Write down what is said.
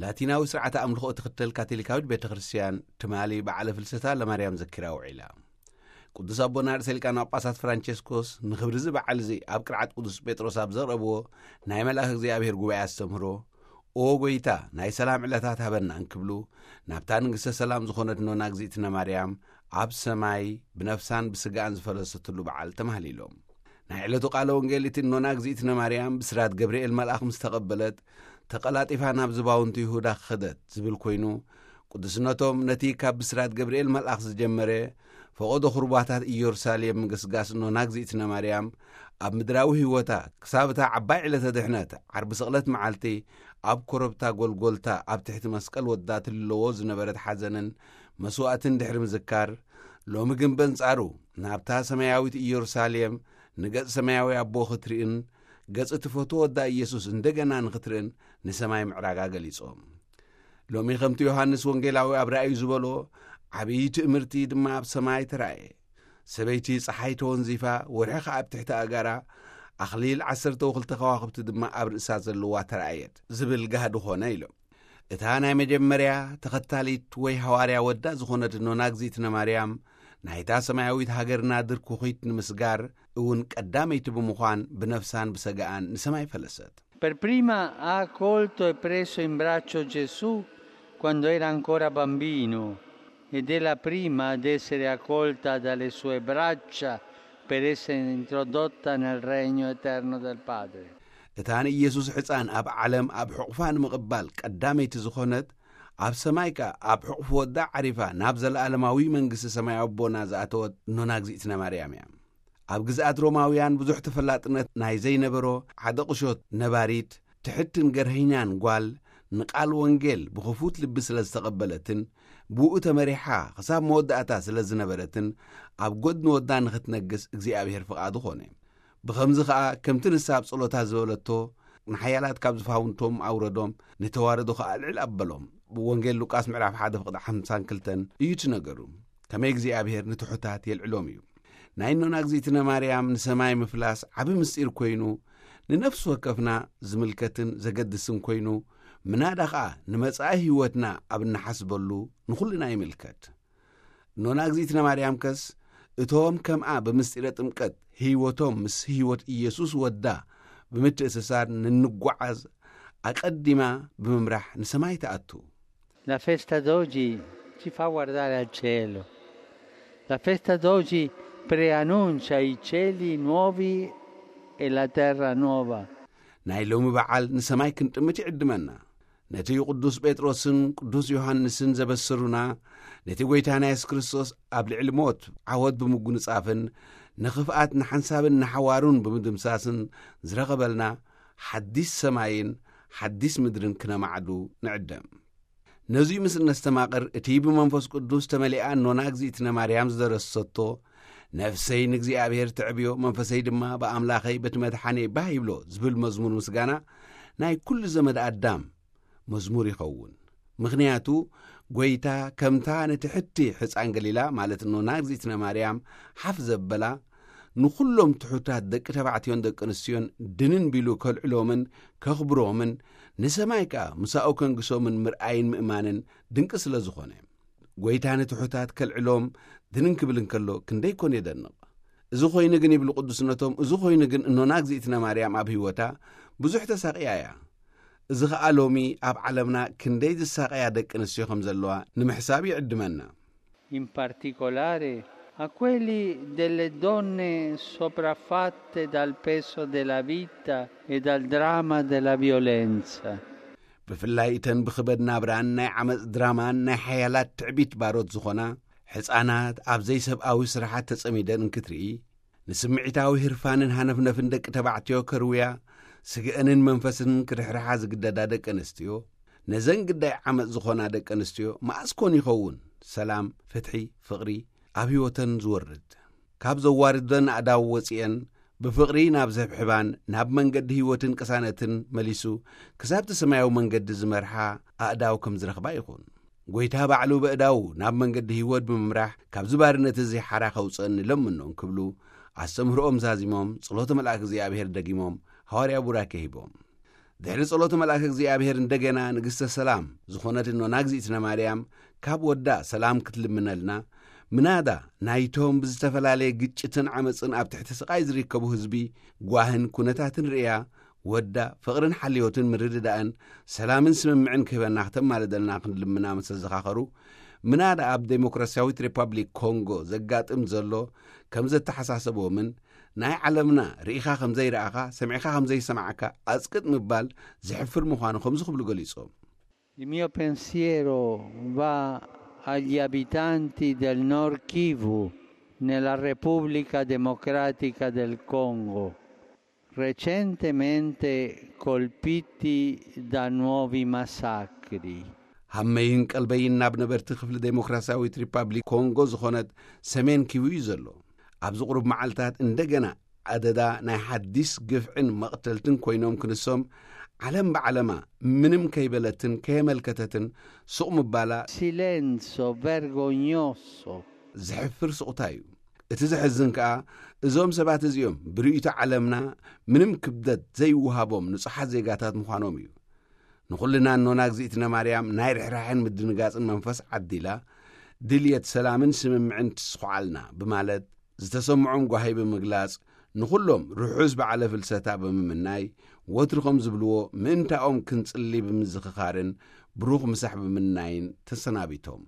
ላቲናዊ ስርዓተ ኣምልኾ እትኽተል ካቶሊካዊት ቤተ ክርስቲያን ትማሊ በዓለ ፍልሰታ ለማርያም ዘኪራ ውዒላ። ቅዱስ ኣቦና ርእሰ ሊቃነ ጳጳሳት ፍራንቸስኮስ ንኽብሪ እዚ በዓል እዚ ኣብ ቅርዓት ቅዱስ ጴጥሮስ ኣብ ዘቕረብዎ ናይ መልኣኽ እግዚኣብሔር ጉባኤ ኣስተምህሮ፣ "ኦ ጐይታ፣ ናይ ሰላም ዕለታት ሃበና" እንክብሉ፣ ናብታ ንግሥተ ሰላም ዝኾነት ኖና እግዚኣብነ ማርያም ኣብ ሰማይ ብነፍሳን ብስጋኣን ዝፈለሰትሉ በዓል ተማህሊሎም። ናይ ዕለቱ ቃለ ወንጌል እቲ ኖና እግዚኣብነ ማርያም ብስራት ገብርኤል መልኣኽ ምስ ተቐበለት፣ ተቐላጢፋ ናብ ዝባውንቲ ይሁዳ ከደት ዝብል ኮይኑ፣ ቅዱስነቶም ነቲ ካብ ብስራት ገብርኤል መልኣኽ ዝጀመረ ፈቐዶ ኹርባታት ኢየሩሳሌም ምግስጋስ ኖና እግዚኣብነ ማርያም ኣብ ምድራዊ ህይወታ ክሳብ እታ ዓባይ ዕለተ ድሕነት ዓርቢ ስቕለት መዓልቲ ኣብ ኮረብታ ጎልጎልታ ኣብ ትሕቲ መስቀል ወዳ ትልለዎ ዝነበረት ሓዘንን መስዋእትን ድሕሪ ምዝካር፣ ሎሚ ግን በንጻሩ ናብታ ሰማያዊት ኢየሩሳሌም ንገጽ ሰማያዊ ኣቦ ክትርእን ገጽ እቲ ፈትዎ ወዳ ኢየሱስ እንደገና ንኽትርእን ንሰማይ ምዕራጋ ገሊጾም። ሎሚ ከምቲ ዮሃንስ ወንጌላዊ ኣብ ራእዩ ዝበሎ ዓብዪ ትእምርቲ ድማ ኣብ ሰማይ ተራእየ። ሰበይቲ ጸሓይ ተወንዚፋ፣ ወርሒ ኸኣ ኣብ ትሕቲ ኣእጋራ፣ ኣኽሊል ዓሰርተ ወክልተ ከዋኽብቲ ድማ ኣብ ርእሳ ዘለዋ ተራእየት ዝብል ጋህዲ ኾነ ኢሎም። እታ ናይ መጀመርያ ተኸታሊት ወይ ሃዋርያ ወዳ ዝኾነት ኖና እግዚኣብነ ማርያም ናይታ ሰማያዊት ሃገርና ድርኩኺት ንምስጋር እውን ቀዳመይቲ ብምዃን ብነፍሳን ብሰጋኣን ንሰማይ ፈለሰት። Per prima ha accolto e preso in braccio Gesù quando era ancora bambino ed è la prima ad essere accolta dalle sue braccia per essere introdotta nel regno eterno del Padre. እታ ንኢየሱስ ሕፃን ኣብ ዓለም ኣብ ሕቑፋ ንምቕባል ቀዳመይቲ ዝኾነት፣ ኣብ ሰማይ ከኣ ኣብ ሕቑፍ ወዳ ዓሪፋ ናብ ዘለኣለማዊ መንግስቲ ሰማይ ኣቦና ዝኣተወት ኖና እግዚኣብነ ማርያም እያ። ኣብ ግዝኣት ሮማውያን ብዙሕ ተፈላጥነት ናይ ዘይነበሮ ሓደ ቁሾት ነባሪት ትሕትን ገርህኛን ጓል ንቃል ወንጌል ብኽፉት ልቢ ስለ ዝተቐበለትን ብኡ ተመሪሓ ክሳብ መወዳእታ ስለ ዝነበረትን ኣብ ጎድኒ ወዳ ንኽትነግስ እግዚኣብሔር ፍቓዱ ኾነ። ብኸምዚ ኸኣ ከምቲ ንሳ ኣብ ጸሎታ ዝበለቶ ንሓያላት ካብ ዝፋውንቶም ኣውረዶም፣ ንተዋረዶ ኸኣ ልዕል ኣበሎም። ብወንጌል ሉቃስ ምዕራፍ ሓደ ፍቕዲ ሓምሳን ክልተን እዩ እቲ ነገሩ። ከመይ እግዚኣብሔር ንትሑታት የልዕሎም እዩ። ናይ እኖና እግዚኣብነ ማርያም ንሰማይ ምፍላስ ዓቢ ምስጢር ኮይኑ፣ ንነፍሲ ወከፍና ዝምልከትን ዘገድስን ኮይኑ፣ ምናዳ ኸኣ ንመጻኢ ህይወትና ኣብ እንሓስበሉ ንኹልና ይምልከት። እኖና እግዚኣብነ ማርያም ከስ እቶም ከምኣ ብምስጢረ ጥምቀት ህይወቶም ምስ ህይወት ኢየሱስ ወዳ ብምትእስሳር ንንጓዓዝ ኣቐዲማ ብምምራሕ ንሰማይ ትኣቱ። La festa d'oggi ci fa guardare al cielo. La festa d'oggi preannuncia i cieli nuovi e la terra nuova. ናይ ሎሚ በዓል ንሰማይ ክንጥምት ይዕድመና። ነቲ ቅዱስ ጴጥሮስን ቅዱስ ዮሃንስን ዘበሰሩና፣ ነቲ ጐይታና የሱስ ክርስቶስ ኣብ ልዕሊ ሞት ዓወት ብምጉንጻፍን ንኽፍኣት ንሓንሳብን ንሓዋሩን ብምድምሳስን ዝረኸበልና ሓዲስ ሰማይን ሓዲስ ምድርን ክነማዕዱ ንዕደም። ነዙይ ምስ እነስተማቕር፣ እቲ ብመንፈስ ቅዱስ ተመሊኣ እኖና እግዚኣብነ ማርያም ዝደረሰቶ፣ "ነፍሰይ ንእግዚኣብሔር ተዕብዮ፣ መንፈሰይ ድማ ብኣምላኸይ በቲ መድሓኔ ባህ ይብሎ" ዝብል መዝሙር ምስጋና ናይ ኩሉ ዘመድ ኣዳም መዝሙር ይኸውን። ምኽንያቱ፣ ጐይታ ከምታ ንትሕቲ ሕፃን ገሊላ፣ ማለት እኖና እግዚኣብነ ማርያም ሓፍ ዘበላ፣ ንኹሎም ትሑታት ደቂ ተባዕትዮን ደቂ ኣንስትዮን ድንን ቢሉ ከልዕሎምን ከኽብሮምን፣ ንሰማይ ከኣ ምሳኡ ከንግሶምን ምርኣይን ምእማንን ድንቂ ስለ ዝኾነ፣ ጐይታ ንትሑታት ከልዕሎም ድንን ክብል እንከሎ ክንደይ ኮን የደንቕ። እዚ ኾይኑ ግን፣ ይብሉ ቅዱስነቶም፣ እዚ ኾይኑ ግን እኖና እግዚኣብነ ማርያም ኣብ ህይወታ ብዙሕ ተሳቕያ እያ። እዚ ኸኣ ሎሚ ኣብ ዓለምና ክንደይ ዝሳቐያ ደቂ ኣንስትዮ ከም ዘለዋ ንምሕሳብ ይዕድመና። In particolare a quelli delle donne sopraffatte dal peso della vita e dal dramma della violenza. ብፍላይ እተን ብኽበድ ናብራን ናይ ዓመፅ ድራማን ናይ ሓያላት ትዕቢት ባሮት ዝኾና ሕፃናት ኣብ ዘይሰብኣዊ ስራሓት ተጸሚደን እንክትርኢ፣ ንስምዒታዊ ህርፋንን ሃነፍነፍን ደቂ ተባዕትዮ ከርውያ፣ ስግአንን መንፈስን ክድሕርሓ ዝግደዳ ደቂ ኣንስትዮ፣ ነዘን ግዳይ ዓመፅ ዝኾና ደቂ ኣንስትዮ መኣስ ኮን ይኸውን ሰላም፣ ፍትሒ፣ ፍቕሪ ኣብ ህይወተን ዝወርድ? ካብ ዘዋርደን ኣእዳው ወፂአን ብፍቕሪ ናብ ዘብሕባን ናብ መንገዲ ህይወትን ቅሳነትን መሊሱ ክሳብቲ ሰማያዊ መንገዲ ዝመርሓ ኣእዳው ከም ዝረኽባ ይኹን። ጐይታ ባዕሉ በእዳዉ ናብ መንገዲ ህይወት ብምምራሕ ካብዚ ባርነት እዚ ሓራ ከውፅእኒ ለምኖ እንክብሉ ኣስተምህሮኦም ዛዚሞም ጸሎተ መልኣክ እግዚኣብሔር ደጊሞም ሃዋርያ ቡራኬ ሂቦም። ድሕሪ ጸሎት መልኣከ እግዚኣብሔር እንደገና ንግስተ ሰላም ዝኾነት እኖና እግዚኣብነ ማርያም ካብ ወዳ ሰላም ክትልምነልና፣ ምናዳ ናይቶም ብዝተፈላለየ ግጭትን ዓመፅን ኣብ ትሕቲ ስቓይ ዝርከቡ ህዝቢ ጓህን ኩነታትን ርእያ፣ ወዳ ፍቕርን ሓልዮትን ምርድዳእን ሰላምን ስምምዕን ክህበና ክተማልደልና ክንልምና ምስ ተዘኻኸሩ፣ ምናዳ ኣብ ዴሞክራሲያዊት ሪፓብሊክ ኮንጎ ዘጋጥም ዘሎ ከም ዘተሓሳሰቦምን፣ ናይ ዓለምና ርኢኻ ከም ዘይረኣኻ፣ ሰሚዕኻ ከም ዘይሰማዕካ ኣጽቅጥ ምባል ዝሕፍር ምዃኑ ከምዚ ክብሉ ገሊጾም። Il mio pensiero va agli abitanti del Nord Kivu, nella Repubblica Democratica del Congo, recentemente colpiti da nuovi massacri. ሃመይን ቀልበይን ናብ ነበርቲ ክፍሊ ዴሞክራሲያዊት ሪፓብሊክ ኮንጎ ዝኾነት ሰሜን ኪቡ እዩ ዘሎ። ኣብዚ ቁሩብ መዓልታት እንደገና ኣደዳ ናይ ሓዲስ ግፍዕን መቕተልትን ኮይኖም ክንሶም፣ ዓለም ብዓለማ ምንም ከይበለትን ከየመልከተትን ሱቕ ምባላ Silenzio vergognoso. ዝሕፍር ሱቕታ እዩ። እቲ ዘሕዝን ከኣ እዞም ሰባት እዚኦም ብርእይቶ ዓለምና ምንም ክብደት ዘይወሃቦም ንጹሓት ዜጋታት ምዃኖም እዩ። ንኹልና እኖና እግዚኣብነ ማርያም ናይ ርሕራሕን ምድንጋጽን መንፈስ ዓዲላ፣ ድልየት ሰላምን ስምምዕን ትስኹዓልና ብማለት ዝተሰምዖም ጓሂ ብምግላጽ፣ ንኹሎም ርሑስ በዓለ ፍልሰታ ብምምናይ፣ ወትሪ ከም ዝብልዎ ምእንታኦም ክንጽሊ ብምዝኽኻርን ብሩኽ ምሳሕ ብምናይን ተሰናቢቶም።